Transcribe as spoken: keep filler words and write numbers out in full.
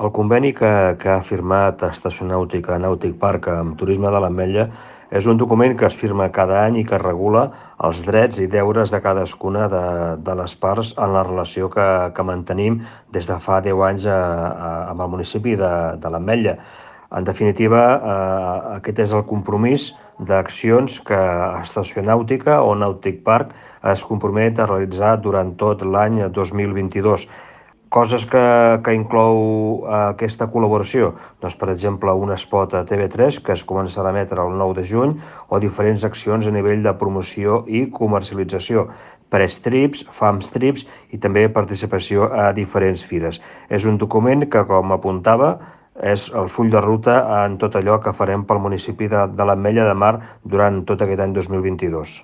El conveni que, que ha firmat Estacionàutica Nàutic Park amb Turisme de l'Ametlla és un document que es firma cada any i que regula els drets i deures de cadascuna de, de les parts en la relació que, que mantenim des de fa deu anys a, a, amb el municipi de, de l'Ametlla. En definitiva, eh, aquest és el compromís d'accions que Estacionàutica o Nàutic Park es compromet a realitzar durant tot l'any dos mil vint-i-dos. Coses que, que inclou eh, aquesta col·laboració? Doncs, per exemple, un spot a T V tres que es començarà a emetre el nou de juny o diferents accions a nivell de promoció i comercialització, press trips, fams trips i també participació a diferents fires. És un document que, com apuntava, és el full de ruta en tot allò que farem pel municipi de, de l'Ametlla de Mar durant tot aquest any dos mil vint-i-dos.